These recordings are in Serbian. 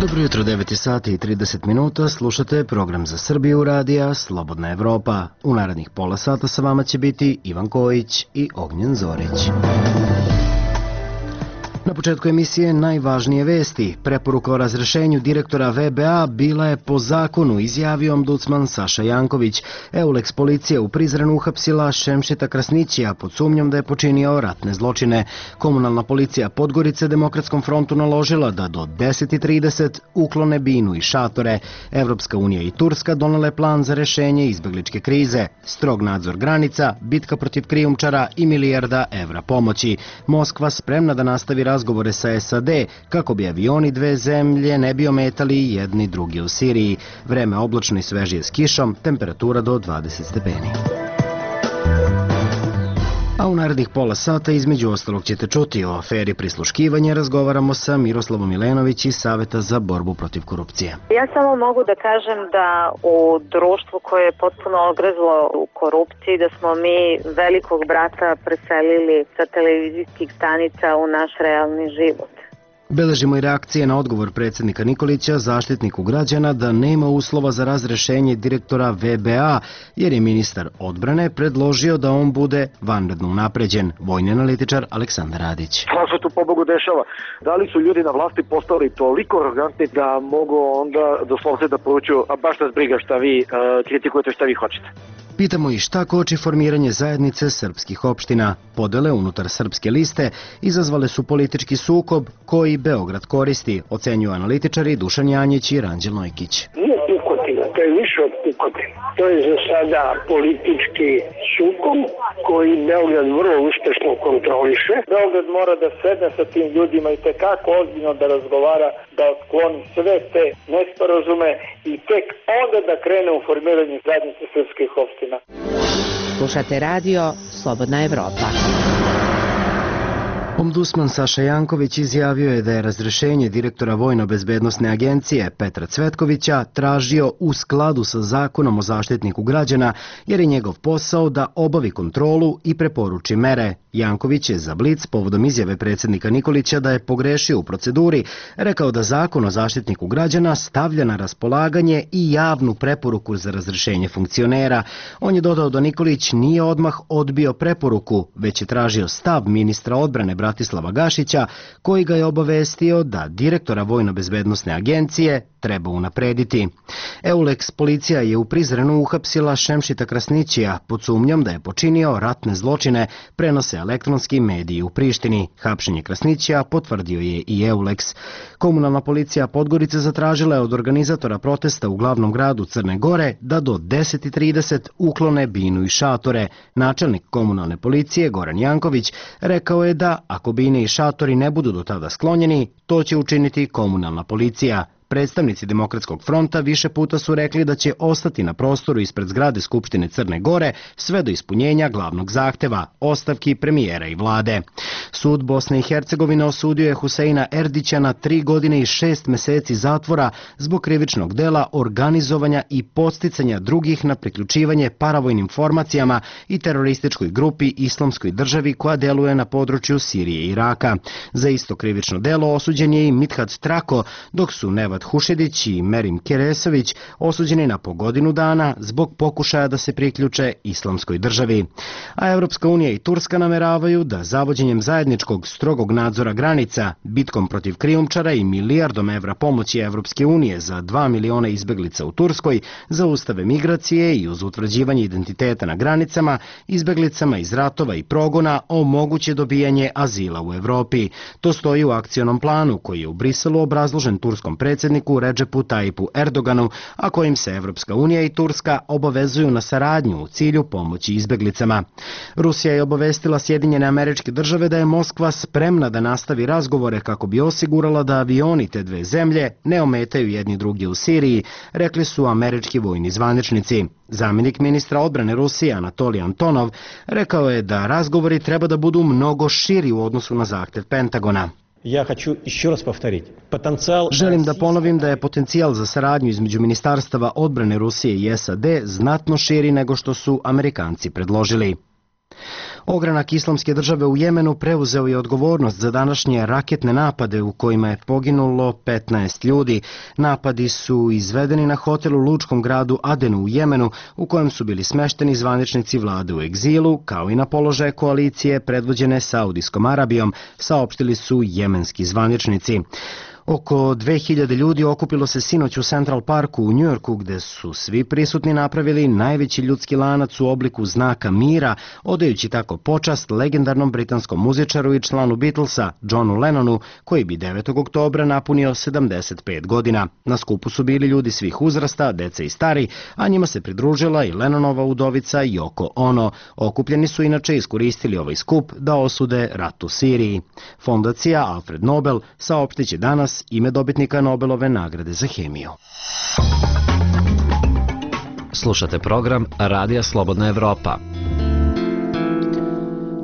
Dobro jutro, 9 sati i 30 minuta, slušate program za Srbiju radija Slobodna Evropa. U narednih pola sata sa vama će biti Ivan Kojić i Ognjen Zorić. Na početku emisije najvažnije vesti. Preporuka o razrešenju direktora VBA bila je po zakonu, izjavio ombudsman Saša Janković. EULEX policija u Prizrenu uhapsila Šemšeta Krasnićija pod sumnjom da je počinio ratne zločine. Komunalna policija Podgorice Demokratskom frontu naložila da do 10:30 uklone binu i šatore. Evropska unija i Turska donele plan za rešenje izbegličke krize. Strog nadzor granica, bitka protiv krijumčara i milijarda evra pomoći. Moskva spremna da nastavi razgovore sa SAD kako bi avioni dve zemlje ne bi ometali jedni drugi u Siriji. Vreme oblačno i svežije s kišom, temperatura do 20 stepeni. A u narednih pola sata između ostalog ćete čuti o aferi prisluškivanja. Razgovaramo sa Miroslavom Milenović iz Saveta za borbu protiv korupcije. Ja samo mogu da kažem da u društvu koje je potpuno ogrezlo u korupciji, da smo mi velikog brata preselili sa televizijskih stanica u naš realni život. Beležimo i reakcije na odgovor predsjednika Nikolića, Zaštitniku građana, da nema uslova za razrešenje direktora VBA, jer je ministar odbrane predložio da on bude vanredno unapređen. Vojni analitičar Aleksandar Radić. Šta se tu pobogu dešava? Da li su ljudi na vlasti postali toliko arogantni da mogu onda doslovce da poručuju, a baš nas briga šta vi kritikujete, šta vi hoćete? Pitamo i šta koči formiranje zajednice srpskih opština. Podele unutar srpske liste izazvale su politički sukob koji Beograd koristi, ocenjuju analitičari Dušan Janjić i Ranđel Nojkić. Nije pukotina, to je više od pukotina. To je za sada politički sukob koji Beograd vrlo uspešno kontroliše. Beograd mora da sedne sa tim ljudima i tekako ozbiljno da razgovara, da otkloni sve te nesporazume i tek onda da krene u formiranje zajednice srpskih opština. Slušate radio Slobodna Evropa. Ombudsman Saša Janković izjavio je da je razrešenje direktora Vojno-bezbednosne agencije Petra Cvetkovića tražio u skladu sa zakonom o Zaštitniku građana, jer je njegov posao da obavi kontrolu i preporuči mere. Janković je za Blic povodom izjave predsjednika Nikolića da je pogrešio u proceduri rekao da zakon o Zaštitniku građana stavlja na raspolaganje i javnu preporuku za razrešenje funkcionera. On je dodao da Nikolić nije odmah odbio preporuku, već je tražio stav ministra odbrane Bratislava Gašića, koji ga je obavestio da direktora Vojno-bezbednosne agencije treba unaprediti. EULEX policija je u Prizrenu uhapsila Šemšita Krasnićija pod sumnjom da je počinio ratne zločine, prenose elektronski mediji u Prištini. Hapšenje Krasnićija potvrdio je i EULEX. Komunalna policija Podgorice zatražila je od organizatora protesta u glavnom gradu Crne Gore da do 10:30 uklone binu i šatore. Načelnik komunalne policije Goran Janković rekao je da ako bine i šatori ne budu do tada sklonjeni, to će učiniti komunalna policija. Predstavnici Demokratskog fronta više puta su rekli da će ostati na prostoru ispred zgrade Skupštine Crne Gore sve do ispunjenja glavnog zahteva, ostavki premijera i vlade. Sud Bosne i Hercegovine osudio je Huseina Erdića na 3 godine i 6 meseci zatvora zbog krivičnog dela organizovanja i podsticanja drugih na priključivanje paravojnim formacijama i terorističkoj grupi Islamskoj državi koja deluje na području Sirije i Iraka. Za isto krivično delo osuđen je i Mithat Trako, dok su Nevat Hušedić i Merim Keresović osuđeni na po godinu dana zbog pokušaja da se priključe Islamskoj državi. A Evropska unija i Turska nameravaju da zavođenjem zajedničkog strogog nadzora granica, bitkom protiv krijumčara i milijardom evra pomoći Evropske unije za 2 miliona izbeglica u Turskoj zaustave migracije i uz utvrđivanje identiteta na granicama, izbeglicama iz ratova i progona omoguće dobijanje azila u Evropi. To stoji u akcionom planu koji je u Briselu obrazložen turskom predsjedniku Redžepu Tajipu Erdoganu, a kojim se Evropska unija i Turska obavezuju na saradnju u cilju pomoći izbeglicama. Rusija je obavestila Sjedinjene Američke Države da je Moskva spremna da nastavi razgovore kako bi osigurala da avioni te dve zemlje ne ometaju jedni drugi u Siriji, rekli su američki vojni zvaničnici. Zamjenik ministra odbrane Rusije Anatolij Antonov rekao je da razgovori treba da budu mnogo širi u odnosu na zahtev Pentagona. Želim da ponovim da je potencijal za saradnju između ministarstava odbrane Rusije i SAD znatno širi nego što su Amerikanci predložili. Ogranak Islamske države u Jemenu preuzeo je odgovornost za današnje raketne napade u kojima je poginulo 15 ljudi. Napadi su izvedeni na hotel u lučkom gradu Adenu u Jemenu, u kojem su bili smešteni zvaničnici vlade u egzilu, kao i na položaje koalicije predvođene Saudijskom Arabijom, saopštili su jemenski zvaničnici. Oko 2000 ljudi okupilo se sinoć u Central Parku u Njujorku, gde su svi prisutni napravili najveći ljudski lanac u obliku znaka mira, odajući tako počast legendarnom britanskom muzičaru i članu Beatlesa, Johnu Lennonu, koji bi 9. oktobra napunio 75 godina. Na skupu su bili ljudi svih uzrasta, deca i stari, a njima se pridružila i Lennonova udovica Yoko Ono. Okupljeni su inače iskoristili ovaj skup da osude rat u Siriji. Fondacija Alfred Nobel saopštiće danas ime dobitnika Nobelove nagrade za hemiju. Slušate program Radija Slobodna Evropa.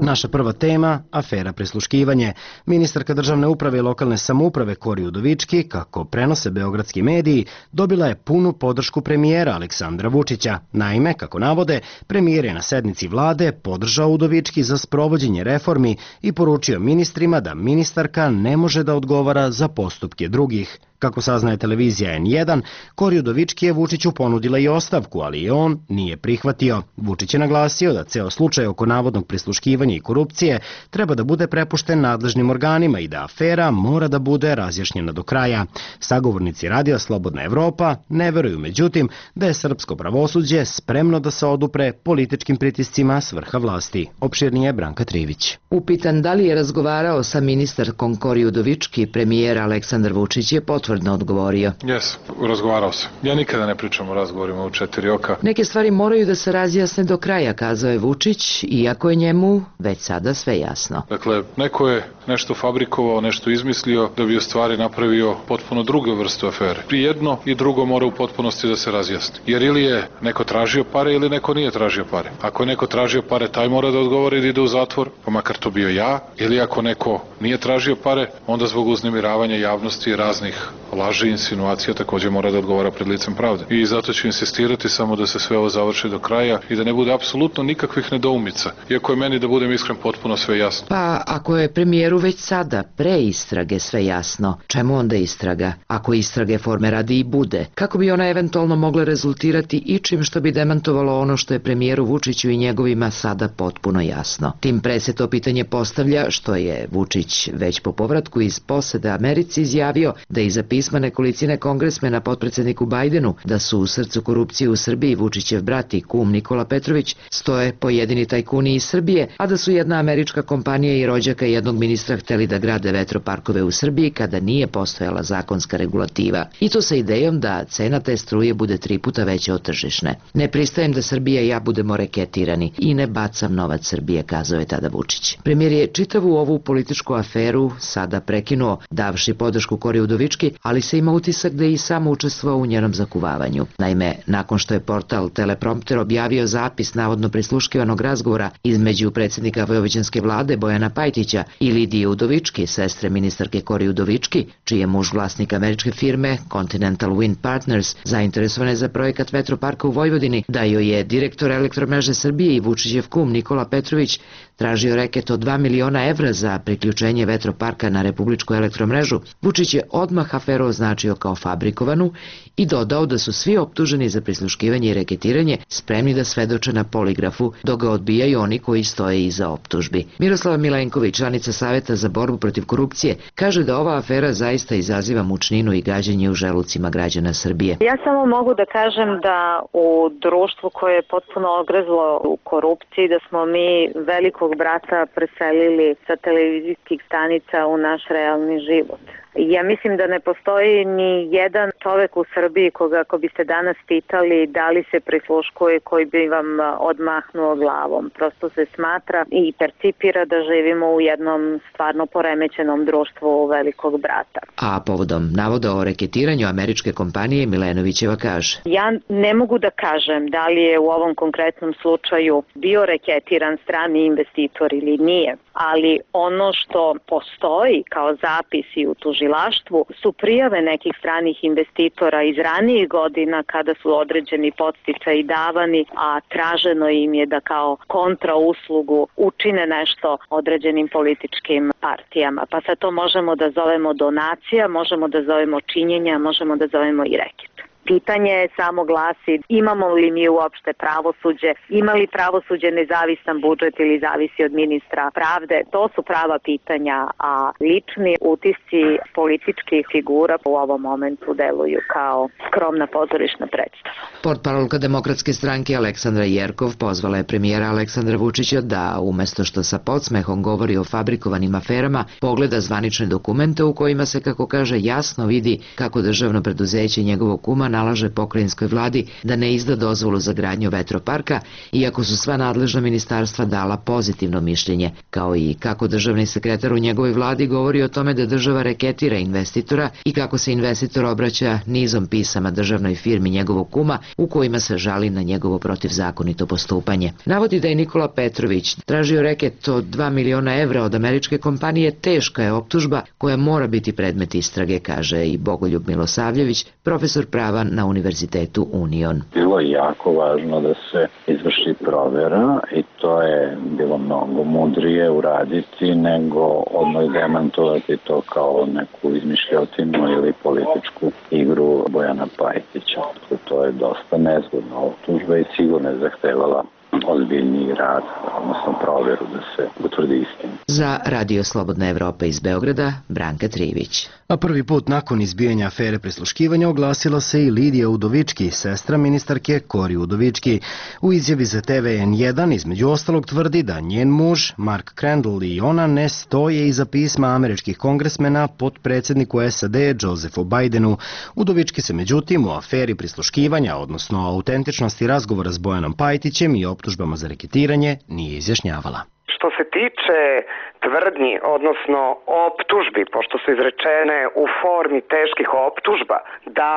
Naša prva tema, afera prisluškivanje. Ministarka državne uprave i lokalne samouprave Kori Udovički, kako prenose beogradski mediji, dobila je punu podršku premijera Aleksandra Vučića. Naime, kako navode, premijer je na sednici vlade podržao Udovički za sprovođenje reformi i poručio ministrima da ministarka ne može da odgovara za postupke drugih. Kako saznaje televizija N1, Kori Udovički je Vučiću ponudila i ostavku, ali i on nije prihvatio. Vučić je naglasio da ceo slučaj oko navodnog prisluškivanja i korupcije treba da bude prepušten nadležnim organima i da afera mora da bude razjašnjena do kraja. Sagovornici Radija Slobodna Evropa ne veruju, međutim, da je srpsko pravosuđe spremno da se odupre političkim pritiscima s vrha vlasti. Opširnije Branka Trivić. Upitan da li je razgovarao sa ministarkom Kori Udovički, premijer Aleksandar Vučić je potvrdno odgovorio. Jes, razgovarao sam. Ja nikada ne pričam o razgovorima u 4 oka. Neke stvari moraju da se razjasne do kraja, kazao je Vučić, iako je njemu već sada sve jasno. Dakle, neko je nešto fabrikovao, nešto izmislio da bi u stvari napravio potpuno drugu vrstu afere. I jedno i drugo mora u potpunosti da se razjasni. Jer ili je neko tražio pare ili neko nije tražio pare. Ako je neko tražio pare, taj mora da odgovori da ide u zatvor, pa makar to bio ja. Ili ako neko nije tražio pare, onda zbog uznemiravanja javnosti i raznih laži i insinuacija također mora da odgovara pred licem pravde. I zato ću insistirati samo da se sve ovo završi do kraja i da ne bude apsolutno nikakvih nedoumica. Iako je meni, da budem iskren, potpuno sve jasno. Pa ako je premijeru već sada pre istrage sve jasno, čemu onda istraga? Ako istrage forme radi i bude, kako bi ona eventualno mogla rezultirati ičim što bi demantovalo ono što je premijeru Vučiću i njegovima sada potpuno jasno? Tim pre se to pitanje postavlja što je Vučić već po povratku iz posete Americi izjavio da iza pisma nekolicine kongresmena potpredsedniku Bajdenu da su u srcu korupcije u Srbiji Vučićev brat i kum Nikola Petrović stoje pojedini tajkuni iz Srbije, a da su jedna američka kompanija i rođaka jednog ministra hteli da grade vetroparkove u Srbiji kada nije postojala zakonska regulativa. I to sa idejom da cena te struje bude 3 puta veća od tržišne. Ne pristajem da Srbija i ja budemo reketirani i ne bacam novac Srbije, kazao je tada Vučić. Premijer je čitavu ovu političku aferu sada prekinuo, davši podršku Kori Udovički, ali se ima utisak da je i sam učestvovao u njenom zakuvavanju. Naime, nakon što je portal Teleprompter objavio zapis navodno prisluškivanog razgovora između predsjednika vojvođanske vlade Bojana Pajtića i Lidije Udovički, sestre ministarke Kori Udovički, čiji je muž vlasnik američke firme Continental Wind Partners, zainteresovane za projekat vetroparka u Vojvodini, da joj je direktor Elektromreže Srbije i Vučićev kum Nikola Petrović tražio reket od 2 miliona evra za priključenje vetroparka na republičku elektromrežu, Vučić je odmah aferu označio kao fabrikovanu i dodao da su svi optuženi za prisluškivanje i reketiranje spremni da svedoče na poligrafu, dok ga odbijaju oni koji stoje iza optužbi. Miroslava Milenković, članica Saveta za borbu protiv korupcije, kaže da ova afera zaista izaziva mučninu i gađenje u želucima građana Srbije. Ja samo mogu da kažem da u društvu koje je potpuno ogrezlo u korupciji, da smo mi velikog brata preselili sa televizijskih stanica u naš realni život. Ja mislim da ne postoji ni jedan čovek u Srbiji koga ako biste danas pitali da li se prisluškuje, koji bi vam odmahnuo glavom. Prosto se smatra i percipira da živimo u jednom stvarno poremećenom društvu velikog brata. A povodom navoda o reketiranju američke kompanije Milenovićeva kaže: Ja ne mogu da kažem da li je u ovom konkretnom slučaju bio reketiran strani investitor ili nije, ali ono što postoji kao zapis i u tužilaštvu tužilaštvu su prijave nekih stranih investitora iz ranijih godina kada su određeni podsticaji davani, a traženo im je da kao kontrauslugu učine nešto određenim političkim partijama. Pa sad to možemo da zovemo donacija, možemo da zovemo činjenja, možemo da zovemo i reket. Pitanje samo glasi, imamo li mi uopšte pravosuđe, ima li pravosuđe nezavisan budžet ili zavisi od ministra pravde, to su prava pitanja, a lični utisci političkih figura u ovom momentu deluju kao skromna pozorišna predstava. Portparolka Demokratske stranke Aleksandra Jerkov pozvala je premijera Aleksandra Vučića da, umesto što sa podsmehom govori o fabrikovanim aferama, pogleda zvanične dokumente u kojima se, kako kaže, jasno vidi kako državno preduzeće njegovog kuma nalaže pokrajinskoj vladi da ne izda dozvolu za gradnju vetroparka, iako su sva nadležna ministarstva dala pozitivno mišljenje, kao i kako državni sekretar u njegovoj vladi govori o tome da država reketira investitora i kako se investitor obraća nizom pisama državnoj firmi njegovog kuma u kojima se žali na njegovo protivzakonito postupanje. Navodi da je Nikola Petrović tražio reket od 2 miliona evra od američke kompanije, teška je optužba koja mora biti predmet istrage, kaže i Bogoljub Milosavljević, profesor prava na Univerzitetu Union. Bilo je jako važno da se izvrši provera i to je bilo mnogo mudrije uraditi nego odmah demantovati to kao neku izmišljotinu ili političku igru Bojana Pajtića. To je dosta nezgodna optužba i sigurno je zahtevala ozbiljniji rad, odnosno proveru da se utvrdi istina. Za Radio Slobodna Evropa iz Beograda, Branka Trivić. A prvi put nakon izbijanja afere prisluškivanja oglasila se i Lidija Udovički, sestra ministarke Kori Udovički. U izjavi za TV N1 između ostalog tvrdi da njen muž, Mark Crandall, i ona ne stoje iza pisma američkih kongresmena potpredsjedniku SAD Josephu Bidenu. Udovički se međutim u aferi prisluškivanja, odnosno autentičnosti razgovora s Bojanom Pajtićem i optužbama za reketiranje, nije izjašnjavala. Što se tiče tvrdnji, odnosno optužbi, pošto su izrečene u formi teških optužba, da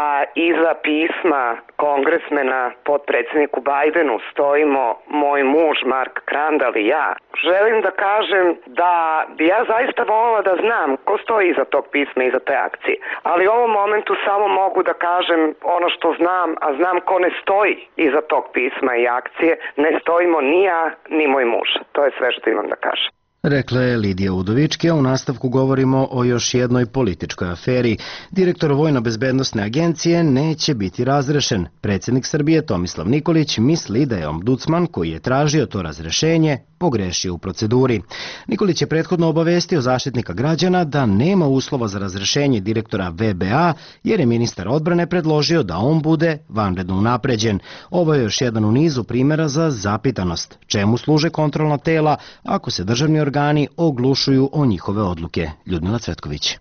iza pisma kongresmena potpredsjedniku Bidenu stojimo moj muž Mark Crandall i ja, želim da kažem da bi ja zaista volila da znam ko stoji iza tog pisma i iza te akcije. Ali u ovom momentu samo mogu da kažem ono što znam, a znam ko ne stoji iza tog pisma i akcije. Ne stojimo ni ja, ni moj muž. To je sve što imam da kažem. Rekla je Lidija Udovički, a u nastavku govorimo o još jednoj političkoj aferi. Direktor Vojno-bezbednosne agencije neće biti razrešen. Predsjednik Srbije Tomislav Nikolić misli da je ombudsman koji je tražio to razrešenje pogrešio u proceduri. Nikolić je prethodno obavestio Zaštitnika građana da nema uslova za razrešenje direktora VBA jer je ministar odbrane predložio da on bude vanredno unapređen. Ovo je još jedan u nizu primjera za zapitanost. Čemu služe kontrolna tela ako se državni organi oglušuju o njihove odluke? Ljudmila Cvetković.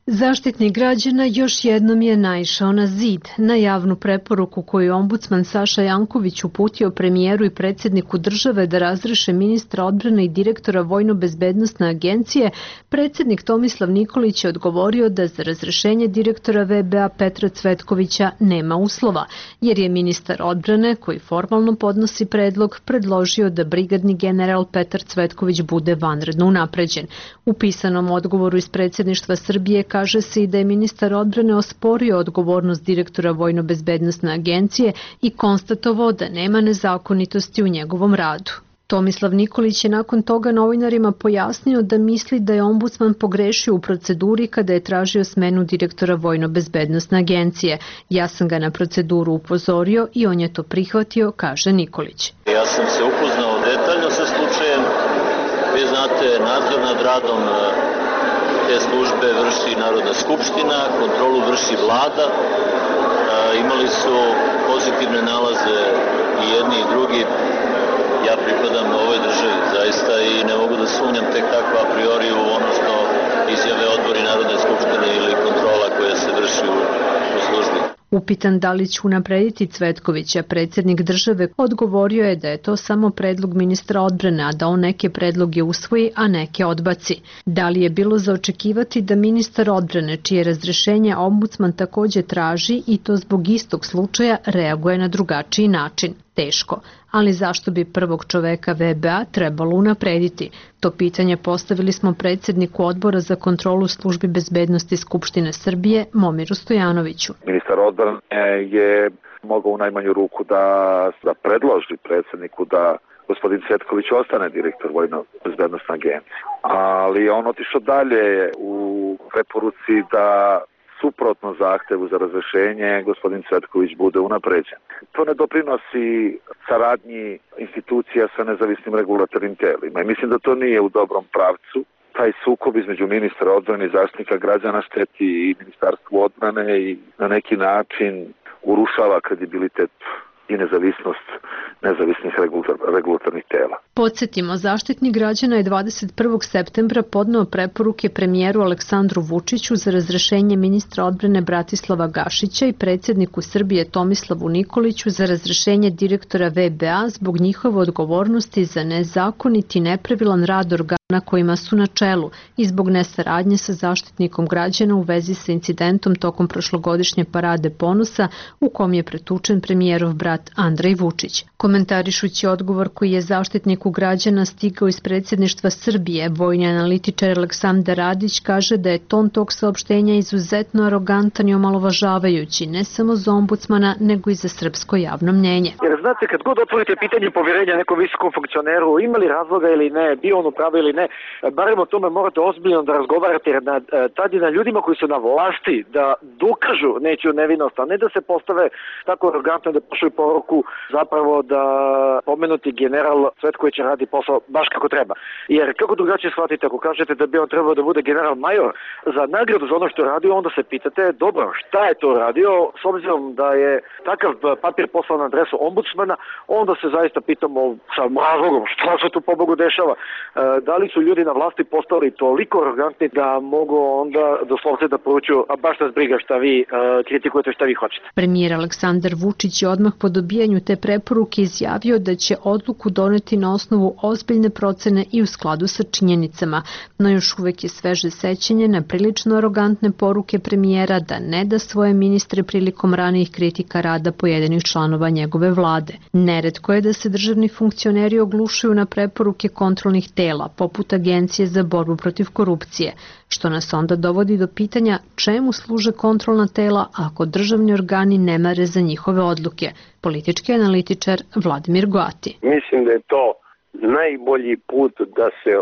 Zaštitnik građana još jednom je naišao na zid. Na javnu preporuku koju je ombudsman Saša Janković uputio premijeru i predsjedniku države da razreše ministra odbrane i direktora Vojno-bezbednosne agencije, predsjednik Tomislav Nikolić je odgovorio da za razrešenje direktora VBA Petra Cvetkovića nema uslova, jer je ministar odbrane, koji formalno podnosi predlog, predložio da brigadni general Petar Cvetković bude vanredno unapređen. U pisanom odgovoru iz predsjedništva Srbije kaže se i da je ministar odbrane osporio odgovornost direktora Vojno-bezbednosne agencije i konstatovao da nema nezakonitosti u njegovom radu. Tomislav Nikolić je nakon toga novinarima pojasnio da misli da je ombudsman pogrešio u proceduri kada je tražio smenu direktora Vojno-bezbednosne agencije. Ja sam ga na proceduru upozorio i on je to prihvatio, kaže Nikolić. Ja sam se upoznao detaljno sa slučajem. Vi znate, nadzor nad radom te službe vrši Narodna skupština, kontrolu vrši vlada. Imali su pozitivne nalaze i jedni i drugi. Ja pripadam ovoj državi zaista i ne mogu da sumnjam tek tako a priori u ono što izjave odbori Narodne skupštine ili kontrola koja se vrši u službi. Upitan da li će unaprediti Cvetkovića, predsjednik države odgovorio je da je to samo predlog ministra odbrane, a da on neke predloge usvoji, a neke odbaci. Da li je bilo za očekivati da ministar odbrane, čije razrešenje ombudsman također traži i to zbog istog slučaja, reaguje na drugačiji način? Teško, ali zašto bi prvog čoveka VBA trebalo unaprediti? To pitanje postavili smo predsjedniku Odbora za kontrolu službi bezbednosti Skupštine Srbije, Momiru Stojanoviću. Ministar odbrane je mogao u najmanju ruku da predloži predsjedniku da gospodin Cvetković ostane direktor Vojno-bezbednosne agencije. Ali on otišao dalje u preporuci da suprotno zahtevu za razrešenje gospodin Cvetković bude unapređen. To ne doprinosi saradnji institucija sa nezavisnim regulatornim telima i mislim da to nije u dobrom pravcu. Taj sukob između ministra odbrane i zaštitnika građana šteti i Ministarstvu odbrane i na neki način urušava kredibilitet i nezavisnost nezavisnih regulatornih tela. Podsjetimo, Zaštitnik građana je 21. septembra podneo preporuke premijeru Aleksandru Vučiću za razrešenje ministra odbrane Bratislava Gašića i predsjedniku Srbije Tomislavu Nikoliću za razrešenje direktora VBA zbog njihove odgovornosti za nezakoniti i nepravilan rad organa kojima su na čelu i zbog nesaradnje sa Zaštitnikom građana u vezi sa incidentom tokom prošlogodišnje parade ponosa u kom je pretučen premijerov brat Andrej Vučić. Komentarišući odgovor koji je Zaštitniku građana stigao iz predsjedništva Srbije, vojni analitičar Aleksandar Radić kaže da je ton tog saopštenja izuzetno arogantan i omalovažavajući ne samo za ombudsmana, nego i za srpsko javno mnjenje. Jer znate, kad god otvorite pitanje poverenja nekom visokom funkcioneru, ima li razloga ili ne, bio on u pravu ili ne, barem o tome morate ozbiljno da razgovarate, jer tad je na ljudima koji su na vlasti da dokažu nečiju nevinost, a ne da se postave tako arogantno da pošalju poruku zapravo da pomenuti general Cvetković radi posao baš kako treba. Jer kako drugačije shvatite ako kažete da bi on trebao da bude general major za nagradu za ono što je radio, onda se pitate dobro, šta je to radio, s obzirom da je takav papir poslan na adresu ombudsmana, onda se zaista pitamo sa razlogom šta se tu pobogu dešava. Da li su ljudi na vlasti postali toliko arogantni da mogu onda doslovce da poručuju, a baš nas briga šta vi kritikujete, šta vi hoćete. Premijer Aleksandar Vučić je odmah po dobijanju te preporuke izjavio da će odluku doneti na osnovu ozbiljne procene i u skladu sa činjenicama, no još uvek je sveže sećanje na prilično arogantne poruke premijera da ne da svoje ministre prilikom ranijih kritika rada pojedinih članova njegove vlade. Neretko je da se državni funkcioneri oglušuju na preporuke kontrolnih tela, poput Agencije za borbu protiv korupcije, što nas onda dovodi do pitanja čemu služe kontrolna tela ako državni organi ne mare za njihove odluke. Politički analitičar Vladimir Goati. Mislim da je to najbolji put da se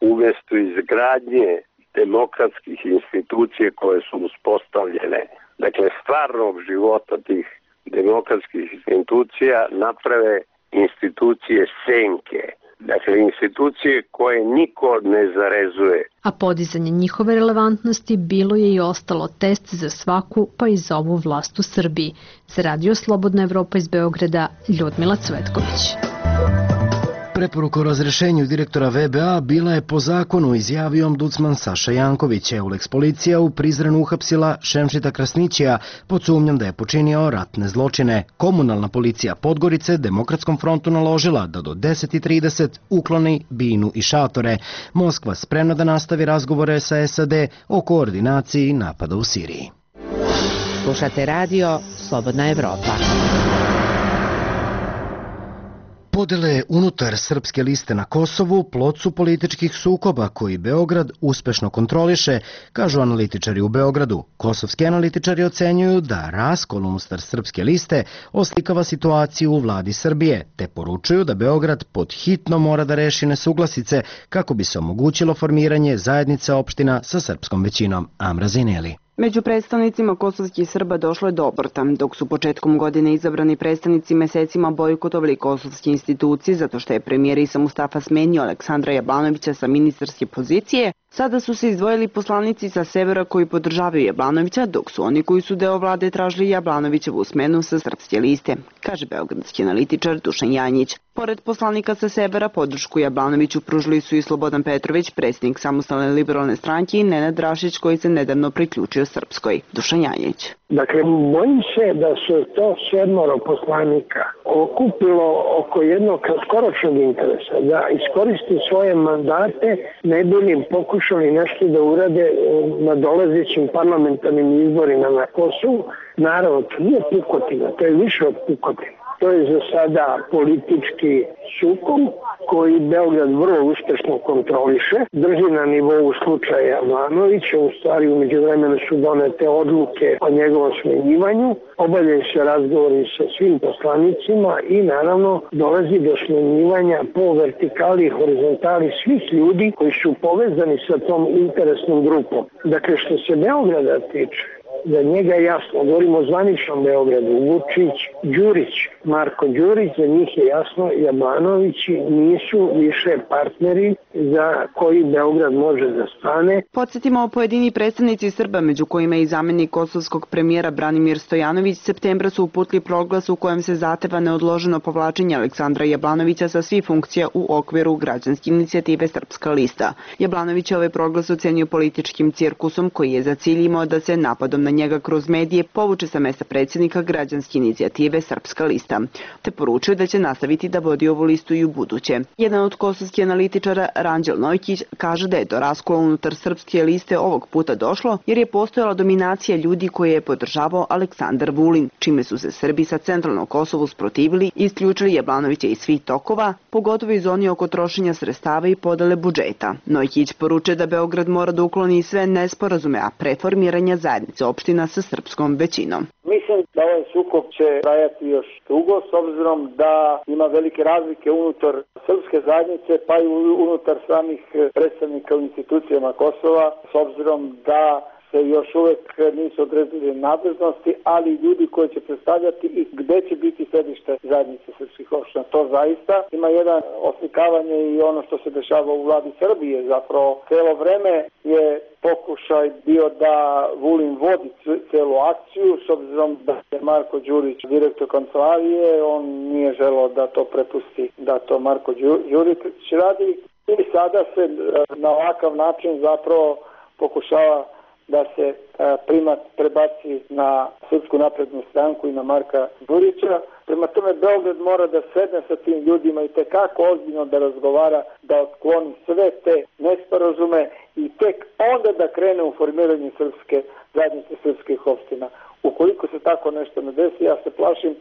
umesto izgradnje demokratskih institucije koje su uspostavljene, dakle stvarnog života tih demokratskih institucija, naprave institucije senke. Dakle, institucije koje niko ne zarezuje. A podizanje njihove relevantnosti bilo je i ostalo test za svaku, pa i za ovu vlast u Srbiji. Za Radio Slobodna Evropa iz Beograda, Ljudmila Cvetković. Preporuka o razrešenju direktora VBA bila je po zakonu, izjavio ombudsman Saša Janković. Euleks policija u Prizrenu uhapsila Šemšita Krasnićija pod sumnjom da je počinio ratne zločine. Komunalna policija Podgorice Demokratskom frontu naložila da do 10:30 ukloni binu i šatore. Moskva spremna da nastavi razgovore sa SAD o koordinaciji napada u Siriji. Slušate radio Slobodna Evropa. Podele unutar srpske liste na Kosovu plod su političkih sukoba koji Beograd uspešno kontroliše, kažu analitičari u Beogradu. Kosovski analitičari ocenjuju da raskol unutar srpske liste oslikava situaciju u vladi Srbije, te poručuju da Beograd pod hitno mora da reši nesuglasice kako bi se omogućilo formiranje zajednice opština sa srpskom većinom. Amra Zineli. Među predstavnicima kosovskih Srba došlo je do obrta, dok su početkom godine izabrani predstavnici mesecima bojkotovali kosovske institucije zato što je premijer Isa Mustafa smenio Aleksandra Jablanovića sa ministarske pozicije. Sada su se izdvojili poslanici sa severa koji podržavaju Jablanovića, dok su oni koji su deo vlade tražili Jablanovićevu smenu sa srpske liste, kaže beogradski analitičar Dušan Janjić. Pored poslanika sa severa, podršku Jablanoviću pružili su i Slobodan Petrović, predsjednik Samostalne liberalne stranke, i Nenad Drašić koji se nedavno priključio Srpskoj. Dušan Janjić. Dakle, bojim se da su to 7 poslanika okupilo oko jednog kratkoročnog interesa, da iskoristi svoje mandate, ne bi li pokušali nešto da urade na dolazećim parlamentarnim izborima na Kosovu. Naravno, to nije pukotina, to je više od pukotina. To je za sada politički sukob koji Beograd vrlo uspešno kontroliše, drži na nivou slučaja Jovanovića, u stvari u međuvremenu su donete odluke o njegovom smenjivanju, obavljaju se razgovori sa svim poslanicima i naravno dolazi do smenjivanja po vertikali i horizontali svih ljudi koji su povezani sa tom interesnom grupom. Dakle, što se Beograda tiče, za njega je jasno, govorimo o zvaničnom Beogradu, Vučić, Đurić, Marko Đurić, za njih je jasno, Jablanovići nisu više partneri za koji Beograd može da stane. Podsjetimo, pojedini predstavnici Srba, među kojima je i zamenik kosovskog premijera Branimir Stojanović, septembra su uputili proglas u kojem se zahteva neodloženo povlačenje Aleksandra Jablanovića sa svih funkcija u okviru građanske inicijative Srpska lista. Jablanović je ovaj proglas ocenio političkim cirkusom koji je za cilj imao da se napadom na njega kroz medije povuče sa mesta predsjednika građanske inicijative Srpska lista, te poručio da će nastaviti da vodi ovu listu i u buduće. Jedan od kosovskih analitičara, Ranđel Nojkić, kaže da je do raskola unutar Srpske liste ovog puta došlo jer je postojala dominacija ljudi koje je podržavao Aleksandar Vulin, čime su se Srbi sa centralnog Kosovu sprotivili i isključili Jablanovića iz svih tokova, pogotovo iz zoni oko trošenja sredstava i podele budžeta. Nojkić poručuje da Beograd mora da ukloni sve nesporazume, a preformiranja zajednice opština sa srpskom većinom. Mislim da ovaj sukob će trajati još dugo, s obzirom da ima velike razlike unutar srpske zajednice, pa i unutar samih predstavnika u institucijama Kosova, s obzirom da se još uvek nisu odredili nadležnosti, ali ljudi koji će predstavljati i gde će biti sedište zajednice srpskih opština. To zaista ima jedan oslikavanje i ono što se dešava u vladi Srbije. Zapravo, celo vreme je pokušaj bio da Vulin vodi celu akciju, s obzirom da je Marko Đurić direktor kancelarije, on nije želeo da to prepusti, da to Marko Đurić radi. I sada se na ovakav način zapravo pokušava da se primat prebaci na Srpsku naprednu stranku i na Marka Đurića. Prema tome, Beograd mora da sedne sa tim ljudima i tekako ozbiljno da razgovara, da otkloni sve te nesporazume i tek onda da krene u formiranje srpske zajednice srpskih opština. Ukoliko se tako nešto ne desi, ja se plašim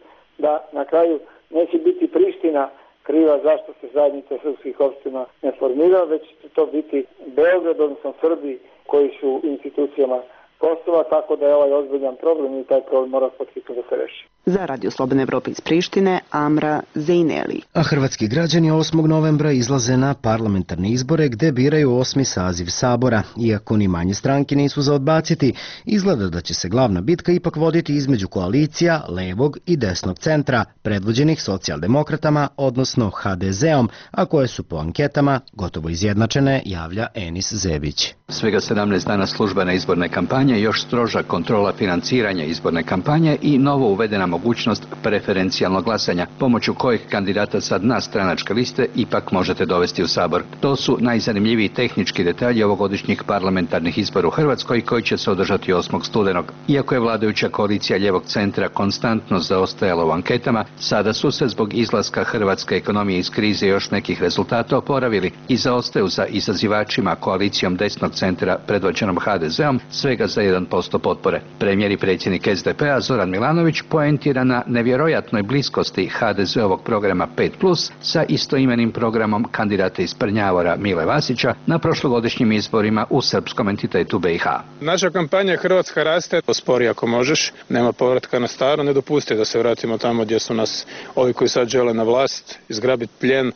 da na kraju neće biti Priština kriva zašto se zajednica srpskih opština ne formira, već će to biti Beograd, odnosno Srbi koji su u institucijama Kosova, tako da je ovaj ozbiljan problem i taj problem mora podsjetno da se reši. Za Radio Slobodne Evrope iz Prištine, Amra Zejneli. A hrvatski građani 8. novembra izlaze na parlamentarne izbore gde biraju 8. saziv Sabora. Iako ni manje stranke nisu za odbaciti, izgleda da će se glavna bitka ipak voditi između koalicija levog i desnog centra, predvođenih socijaldemokratama, odnosno HDZ-om, a koje su po anketama gotovo izjednačene, javlja Enis Zebić. Svega 17 dana službene izborne kampanje, još stroža kontrola financiranja izborne kampanje i novo uvedena mogućnost preferencijalnog glasanja, pomoću kojih kandidata sa dna stranačke liste ipak možete dovesti u Sabor. To su najzanimljiviji tehnički detalji ovogodišnjih parlamentarnih izbora u Hrvatskoj koji će se održati 8. studenog. Iako je vladajuća koalicija ljevog centra konstantno zaostajala u anketama, sada su se zbog izlaska hrvatske ekonomije iz krize još nekih rezultata oporavili i zaostaju za izazivačima koalicijom desnog centra predvođenom HDZ-om svega za 1% potpore. Premijer i predsjednik SDP-a Zoran Milanović poentira na nevjerojatnoj bliskosti HDZ-ovog programa 5+, sa istoimenim programom kandidata iz Prnjavora Mile Vasića na prošlogodišnjim izborima u srpskom entitetu BiH. Naša kampanja Hrvatska raste, spori ako možeš, nema povratka na staro, ne dopusti da se vratimo tamo gdje su nas ovi koji sad žele na vlast, izgrabiti plijen,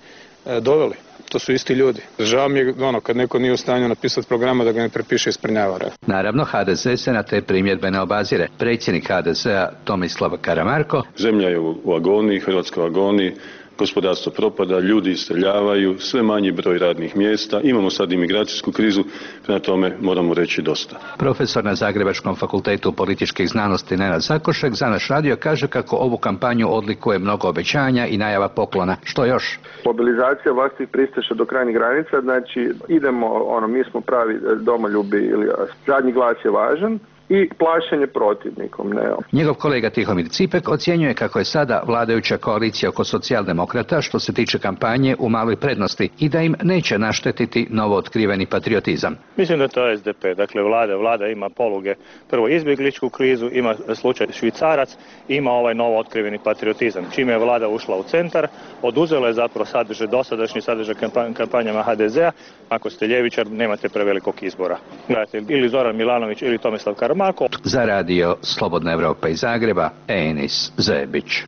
doveli. To su isti ljudi. Žao mi je kad neko nije u stanju napisati programa da ga ne prepiše iz Prnjavora. Naravno, HDZ se na te primjedbe ne obazire. Predsjednik HDZ-a Tomislav Karamarko: Zemlja je u agoniji, Hrvatska u agoniji, gospodarstvo propada, ljudi iseljavaju, sve manji broj radnih mjesta, imamo sad imigracijsku krizu, prema tome moramo reći dosta. Profesor na Zagrebačkom fakultetu političkih znanosti Nenad Zakošek za naš radio kaže kako ovu kampanju odlikuje mnogo obećanja i najava poklona. Što još? Mobilizacija vlastih pristaša do krajnjih granica, znači idemo, mi smo pravi domoljubi, ili zadnji glas je važan. i plašenje protivnikom. Ne. Njegov kolega Tihomir Cipek ocjenjuje kako je sada vladajuća koalicija oko socijaldemokrata što se tiče kampanje u maloj prednosti i da im neće naštetiti novo otkriveni patriotizam. Mislim da to je SDP, dakle vlada ima poluge, prvo izbjegličku krizu, ima slučaj Švicarac, ima ovaj novo otkriveni patriotizam. Čime je vlada ušla u centar, oduzela je zapravo dosadašnji sadržaj kampanjama HDZ-a. Ako ste ljevičar, nemate prevelikog izbora. Gledajte, ili Zoran Milanović ili Tomislav Karamarko. Za radio Slobodna Evropa iz Zagreba, Enis Zebić.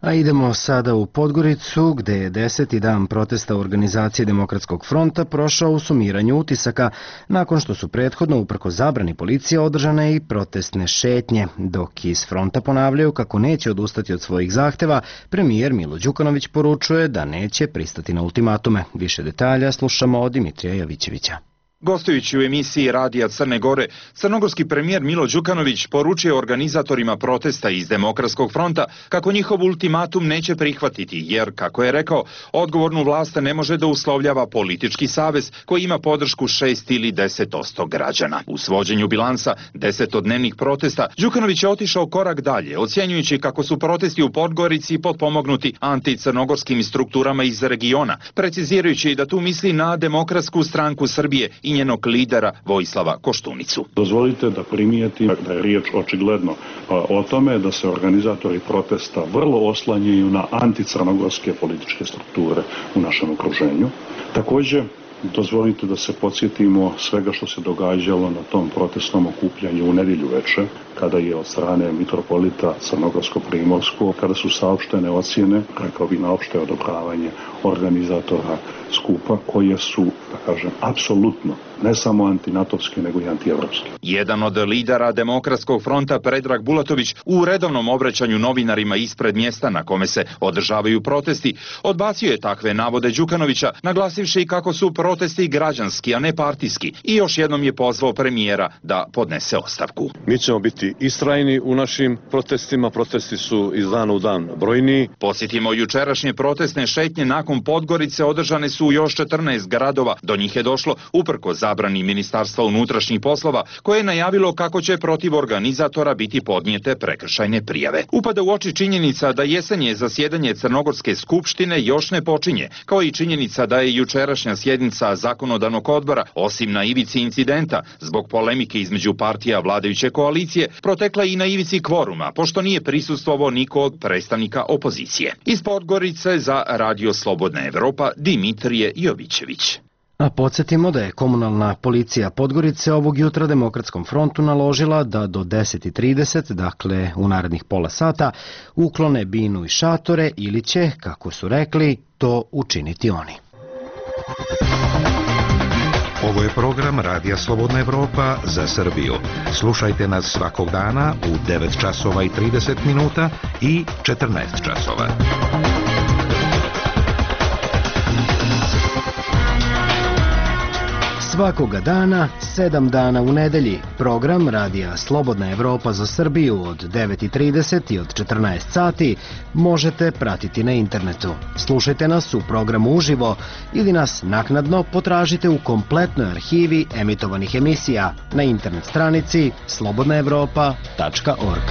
A idemo sada u Podgoricu, gde je 10. dan protesta organizacije Demokratskog fronta prošao u sumiranju utisaka, nakon što su prethodno uprkos zabrani policije održane i protestne šetnje. Dok iz fronta ponavljaju kako neće odustati od svojih zahteva, premijer Milo Đukanović poručuje da neće pristati na ultimatume. Više detalja slušamo od Dimitrija Javićevića. Gostujući u emisiji Radija Crne Gore, crnogorski premijer Milo Đukanović poručuje organizatorima protesta iz Demokratskog fronta kako njihov ultimatum neće prihvatiti, jer, kako je rekao, odgovornu vlast ne može da uslovljava politički savez koji ima podršku 6 ili 10% građana. U svođenju bilansa 10-dnevnih protesta, Đukanović je otišao korak dalje, ocjenjujući kako su protesti u Podgorici potpomognuti anticrnogorskim strukturama iz regiona, precizirajući da tu misli na Demokratsku stranku Srbije i njenog lidera Vojislava Koštunicu. Dozvolite da primijetim da je riječ očigledno o tome da se organizatori protesta vrlo oslanjaju na anticrnogorske političke strukture u našem okruženju. Također, dozvolite da se podsjetimo svega što se događalo na tom protestnom okupljanju u nedjelju večer, kada je od strane mitropolita Crnogorsko-Primorskog, kada su saopštene ocjene, rekao bi na opšte odobravanje organizatora skupa, koje su, da kažem, apsolutno ne samo antinatovske, nego i antievropske. Jedan od lidera Demokratskog fronta, Predrag Bulatović, u redovnom obraćanju novinarima ispred mjesta na kome se održavaju protesti, odbacio je takve navode Đukanovića, naglasivši kako su protesti građanski, a ne partijski, i još jednom je pozvao premijera da podnese ostavku. Mi ćemo biti istrajni u našim protestima, protesti su iz dana u dan brojniji. Posjetimo jučerašnje protestne šetnje nakon Podgorice održane su u još 14 gradova. Do njih je došlo uprko zabrani Ministarstva unutrašnjih poslova, koje je najavilo kako će protiv organizatora biti podnijete prekršajne prijave. Upada u oči činjenica da jesenje zasjedanje Crnogorske skupštine još ne počinje, kao i činjenica da je jučerašnja sjednica zakonodavnog odbora, osim na ivici incidenta, zbog polemike između partija vladajuće koalicije, protekla i na ivici kvoruma, pošto nije prisustvovao niko od predstavnika opozicije. Iz Podgorice za Radio Slobodna Evropa, Dimitrije Jovićević. A podsjetimo da je komunalna policija Podgorice ovog jutra Demokratskom frontu naložila da do 10:30, dakle u narednih pola sata, uklone binu i šatore ili će, kako su rekli, to učiniti oni. Ovo je program Radija Slobodna Evropa za Srbiju. Slušajte nas svakog dana u 9 časova i 30 minuta i 14 časova. Svakoga dana, 7 dana u nedelji, program Radija Slobodna Evropa za Srbiju od 9:30 i od 14 sati možete pratiti na internetu. Slušajte nas u programu uživo ili nas naknadno potražite u kompletnoj arhivi emitovanih emisija na internet stranici slobodnaevropa.org.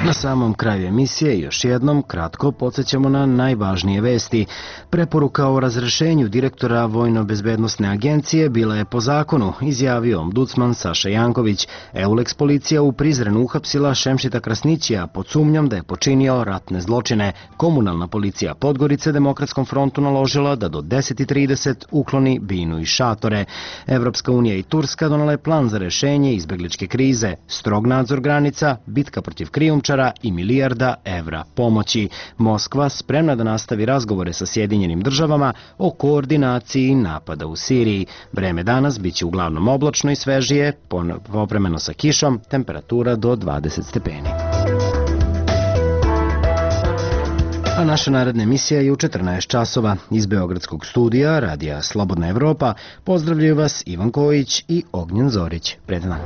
Na samom kraju emisije još jednom kratko podsjećamo na najvažnije vesti. Preporuka o razrešenju direktora Vojno-bezbednosne agencije bila je po zakonu, izjavio ombudsman Saša Janković. Eulex policija u Prizrenu uhapsila Šemšita Krasnićija pod sumnjom da je počinio ratne zločine. Komunalna policija Podgorice Demokratskom frontu naložila da do 10:30 ukloni binu i šatore. Evropska unija i Turska donale plan za rešenje izbegličke krize, strog nadzor granica, bitka protiv krijumčara i milijarda evra pomoći. Moskva spremna da nastavi razgovore sa Sjedinjenim državama o koordinaciji napada u Siriji. Vreme danas biće uglavnom oblačno i svežije, povremeno sa kišom, temperatura do 20 stepeni. A naša naredna emisija je u 14 časova. Iz Beogradskog studija Radija Slobodna Evropa pozdravljaju vas Ivan Kojić i Ognjen Zorić. Prijatan dan.